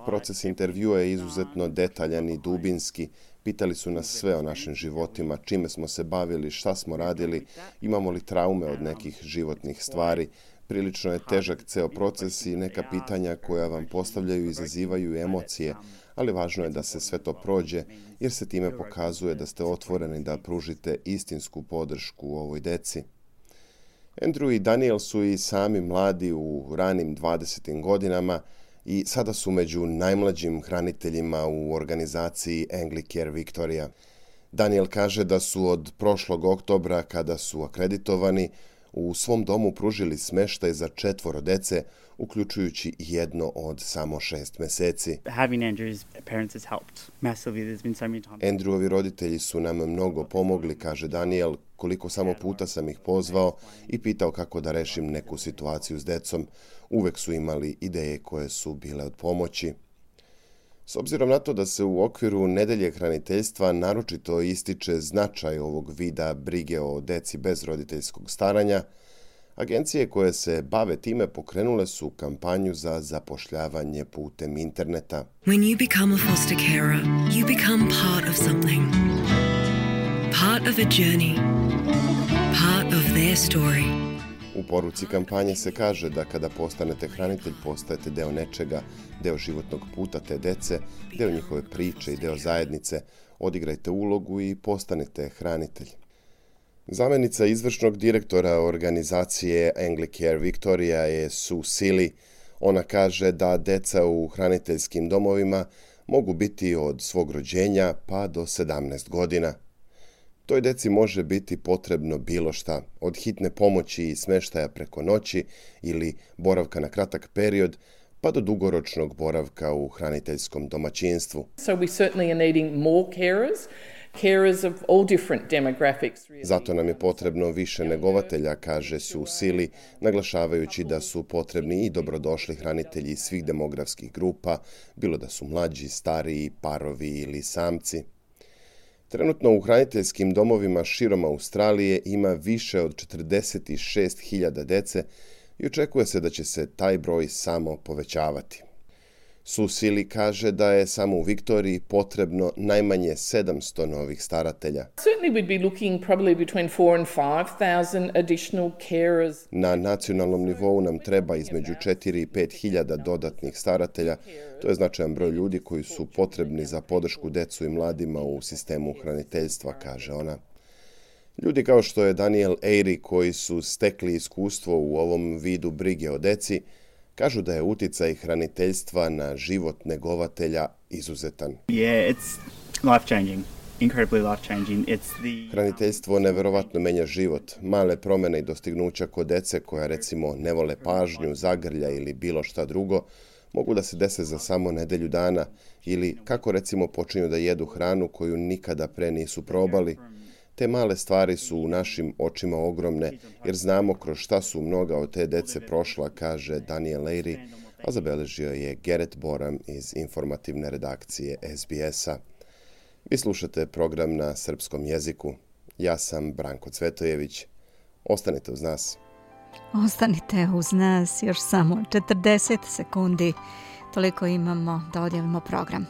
Proces intervjua je izuzetno detaljan i dubinski. Pitali su nas sve o našim životima, čime smo se bavili, šta smo radili, imamo li traume od nekih životnih stvari. Prilično je težak ceo proces i neka pitanja koja vam postavljaju izazivaju emocije, ali važno je da se sve to prođe, jer se time pokazuje da ste otvoreni da pružite istinsku podršku ovoj deci. Andrew i Daniel su i sami mladi u ranim 20. godinama i sada su među najmlađim hraniteljima u organizaciji Anglicare Victoria. Daniel kaže da su od prošlog oktobra, kada su akreditovani, u svom domu pružili smeštaj za 4 dece, uključujući jedno od samo 6 meseci. Andrewovi roditelji su nam mnogo pomogli, kaže Daniel, koliko samo puta sam ih pozvao i pitao kako da rešim neku situaciju s decom. Uvek su imali ideje koje su bile od pomoći. S obzirom na to da se u okviru nedelje hraniteljstva naročito ističe značaj ovog vida brige o deci bez roditeljskog staranja, agencije koje se bave time pokrenule su kampanju za zapošljavanje putem interneta. When you become a foster carer, you become part of something. Part of a journey. Part of their story. U poruci kampanje se kaže da kada postanete hranitelj, postajete deo nečega, deo životnog puta te dece, deo njihove priče i deo zajednice. Odigrajte ulogu i postanete hranitelj. Zamenica izvršnog direktora organizacije Anglicare Victoria je Sue Seeley. Ona kaže da deca u hraniteljskim domovima mogu biti od svog rođenja pa do 17 godina. Toj deci može biti potrebno bilo šta, od hitne pomoći i smeštaja preko noći ili boravka na kratak period, pa do dugoročnog boravka u hraniteljskom domaćinstvu. Zato nam je potrebno više negovatelja, kaže Sue Seeley, naglašavajući da su potrebni i dobrodošli hranitelji svih demografskih grupa, bilo da su mlađi, stariji, parovi ili samci. Trenutno u hraniteljskim domovima širom Australije ima više od 46.000 dece i očekuje se da će se taj broj samo povećavati. Sue Seeley kaže da je samo u Viktoriji potrebno najmanje 700 novih staratelja. Na nacionalnom nivou nam treba između 4 i 5.000 dodatnih staratelja. To je značajan broj ljudi koji su potrebni za podršku decu i mladima u sistemu hraniteljstva, kaže ona. Ljudi kao što je Daniel Airy, koji su stekli iskustvo u ovom vidu brige o deci, kažu da je uticaj hraniteljstva na život negovatelja izuzetan. Hraniteljstvo neverovatno menja život. Male promene i dostignuća kod dece koja recimo ne vole pažnju, zagrlja ili bilo šta drugo, mogu da se dese za samo nedelju dana ili kako recimo počinju da jedu hranu koju nikada pre nisu probali. Te male stvari su u našim očima ogromne, jer znamo kroz šta su mnoga od te dece prošla, kaže Daniel Airy, a zabeležio je Gerrit Boram iz informativne redakcije SBS-a. Vi slušate program na srpskom jeziku. Ja sam Branko Cvetojević. Ostanite uz nas. Ostanite uz nas još samo 40 sekundi. Toliko imamo da odjavimo program.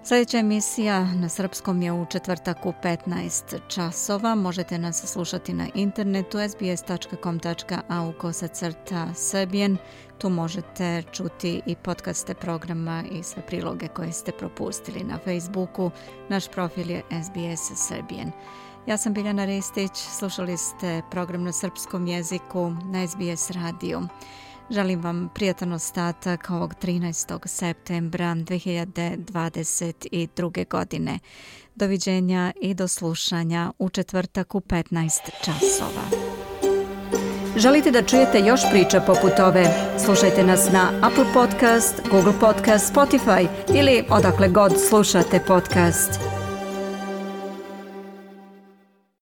Sljedeća emisija na srpskom je u četvrtak u 15 časova. Možete nas slušati na internetu sbs.com.au/Serbian. Tu možete čuti i podcaste programa i sve priloge koje ste propustili na Facebooku. Naš profil je SBS Serbian. Ja sam Biljana Ristić, slušali ste program na srpskom jeziku na SBS radiju. Želim vam prijatan ostatak ovog 13. septembra 2022. godine. Doviđenja i do slušanja u četvrtak u 15 časova. Želite da čujete još priča poput ove? Slušajte nas na Apple Podcast, Google Podcast, Spotify ili odakle god slušate podcast.